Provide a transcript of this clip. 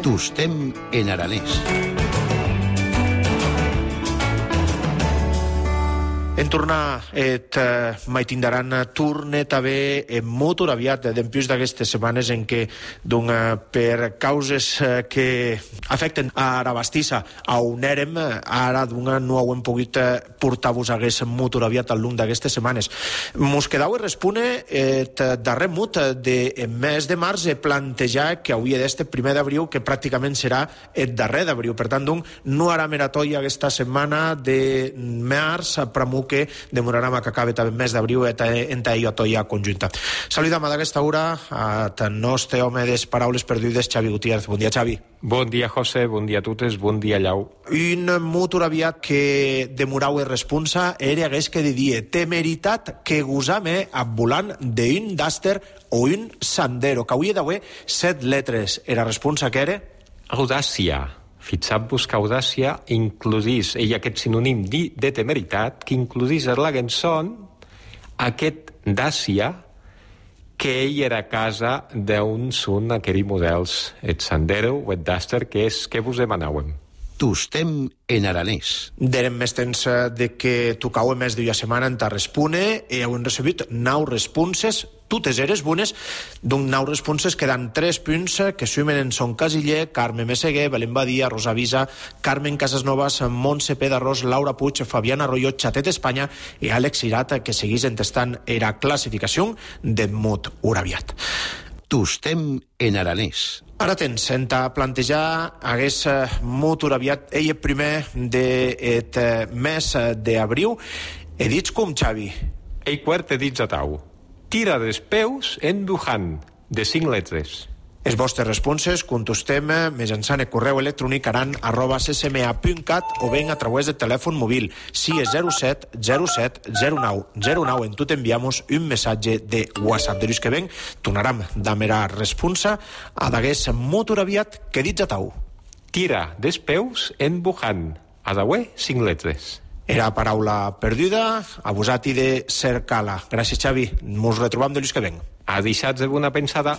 Tostem en aranès. En tornar mai tindran tornet a haver molt aviat dempués d'aquestes setmanes en què per causes que afecten a la bastissa a on érem, ara no ho hem pogut portar-vos molt aviat al llarg d'aquestes setmanes. Mos quedau respone darrer mut de mes de març plantejar que hauria d'este 1 d'abril, que pràcticament serà el darrer d'abril. Per tant, no harà meratòia aquesta setmana de març, però que demorarà que acabi també el mes d'abril en ella toia conjunta. Saludam d'aquesta hora al nostre home de paraules perdudes, Xavi Gutiérrez. Bon dia, Xavi. Bon dia, José, bon dia a totes, bon dia, Llau. Un molt aviat que demorau el responsa era hagués que dir temeritat que gosame a volant d'un Duster o un Sandero, que hauria d'haver 7 letres. Era responsa que era? Audàcia. Fixat-vos que audàcia includís, aquest sinònim de temeritat, que includís a la cançó aquest Dàcia, que ell era a casa d'un son aquells models, el Sandero o el Duster, que és que vos demanàvem. Tostem en aranès. Derem més temps de que tocau més d'una setmana en ta respone i heu recebut 9 responses, totes eres bones. D'un 9 responses quedan 3 punts que sumen en Son Casiller, Carme Meseguer, Belén Badia, Rosa Visa, Carmen Casasnovas, Montse Pedarrós, Laura Puig, Fabiana Arroyo, Chatet Espanya i Àlex Irata, que seguís entestant era classificació de mot uraviat. Tostem en aranès. Ara tens, en ta plantejar hagués molt aviat ell primer del mes d'abril. He dit com, Xavi? Ei quart he dit a tau. Tira dels peus en Wuhan, de 5 letres. Els vostres responses contestem mitjançant el correu electrònic aran@ccma.cat o ben a través del telèfon mòbil. Si és 07 07 09 09 en tot enviamos un missatge de WhatsApp. De que ven, tornarem d'amera responsa a d'agués molt aviat que dits a tau. Tira dels peus en Wuhan, a d'haver 5 letres. Era paraula perduda, abusat i de cercar-la. Gràcies, Xavi. Mos retrobam de que ven. A deixats alguna pensada.